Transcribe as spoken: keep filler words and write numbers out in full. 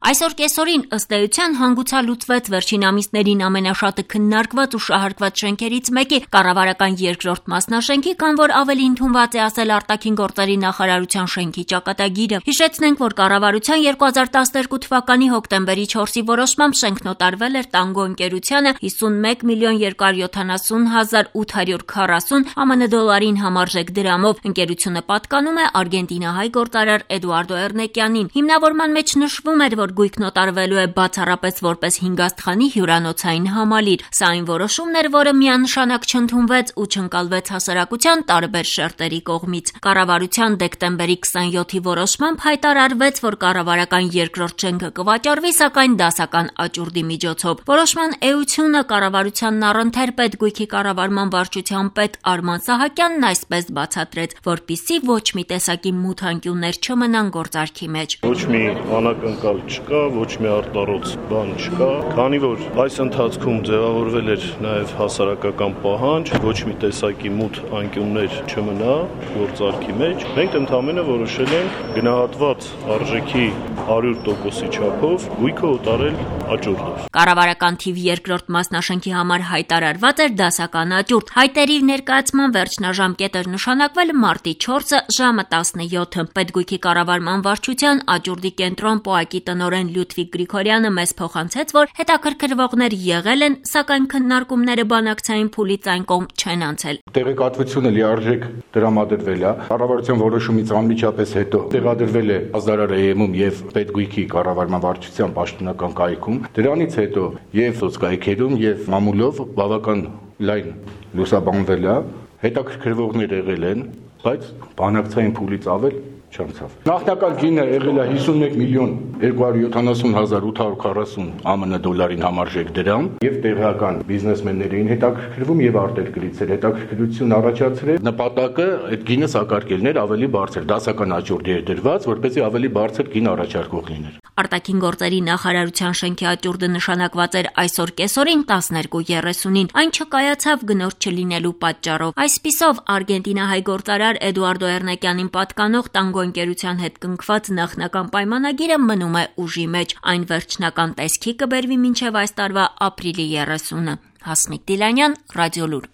Այսօր կեսօրին ըստ էության հանգուցալուծվեց վերջին ամիսներին ամենաշատը քննարկված ու շահարկված շենքերից մեկի կառավարական երկրորդ մասնաշենքի, կամ որ ավելի ընդունված է ասել արտաքին գործերի նախարարության շենքի ճակատագիրը։ Հիշեցնենք, որ կառավարության երկու հազար տասներկու թվականի հոկտեմբերի չորսի որոշմամբ շենքն օտարվել էր Տանգո ընկերությանը հիսունմեկ միլիոն երկրորդ յոթանասուն հազար ութ հարյուր քառասուն ԱՄՆ դոլարին համարժեք դրամով։ Ընկերությունը պատկանում է արգենտինահայ գործարար Էդուարդո Էրնեկյանին։ Հիմնավորման մեջ նշվում էր, որ գույքն օտարվելու է բացառապես որպես հինգաստղանի հյուրանոցային համալիր։ Սա այն որոշումն էր, որը միանշանակ չընդունվեց ու չընկալվեց հասարակության տարբեր շերտերի կողմից։ Կառավարության դեկտեմբերի քսանյոթի որոշմամբ հայտարարվեց, որ կառավարական երկրորդ շենքը կվաճառվի, սակայն դասական աճուրդի միջոցով։ Որոշման էությունը կառավարությանն առընթեր պետգույքի կառավարման վարչության պետ Արման Սահակյանն այսպես բացատրեց, որպիսի ոչ մի տեսակի մութ անկյուններ չմնան գործարքի մեջ։ Ոչ մի անակնկալ չկա, ոչ մի արտառոց բան չկա, քանի որ այս ընթացքում ձևավորվել էր նաև հասարակական պահանջ, ոչ մի տեսակի մութ անկյուններ չմնա գործարքի մեջ։ Մենք ընդհանրապես որոշել ենք գնահատված արժեքի հարյուր տոկոսի չափով գույքը օտարել աճուրդով։ Կառավարական թիվ երկրորդ մասնաշենքի համար հայտարարված էր դասական աճուրդ։ Հայտերի ներկայացման վերջնաժամկետ էր նշանակվել մարտի չորսը ժամը տասնյոթը։ Պետգույքի կառավարման վարչության աճուրդի կենտրոն ՊՕԱԿ-ի տնօրեն Լյուդվիգ Գրիգորյանը մեզ փոխանցեց, որ հետաքրքրվողներ եղել են, սակայն քննարկումները բանակցային փուլից այն կողմ չեն անցել։ Տեղեկատվությունը լիարժեք տրամադրվել է։ Կառավարության որոշումից անմիջապես հետո տեղադրվել է ազդարարայեմում եւ պետգույքի կառավարման վարչության պաշտոնական կայքում։ Դրանից հետո եւ սոցկայքերում եւ մամուլով բավական լայն լուսաբանվել է, հետաքրքրվողներ եղել են, բայց բանակցային փուլից ավել չանցավ։ Նախնական գինը եղել է հիսունմեկ միլիոն երկու հարյուր յոթանասուն հազար ութ հարյուր քառասուն ԱՄՆ դոլարին համարժեք դրամ եւ տեղական բիզնեսմեններին հետաքրքրվում եւ արտերկրից էր հետաքրքրություն առաջացրել։ Նպատակը այդ գինը սակարկելն էր ավելի բարձր, դասական աճուրդ էր դրված, որպեսզի ավելի բարձր գին առաջարկող լիներ։ Արտաքին գործերի նախարարության շենքի աճուրդը նշանակված էր այսօր կեսօրին տասներկու երեսունին։ Այն չկայացավ գնորդ չլինելու պատճառով։ Այսպիսով արգենտինահայ գործարար Էդուարդո Էրնեկյանին պատկանող Տանգո ընկերության հետ կնքված նախնական պայմանագիրը մնում է ուժի մեջ։ Այն վերջնական տեսքի կբերվի մինչև այս տարվա ապրիլի երեսունը։ Հասմիկ Դիլանյան, Ռադիոլուր։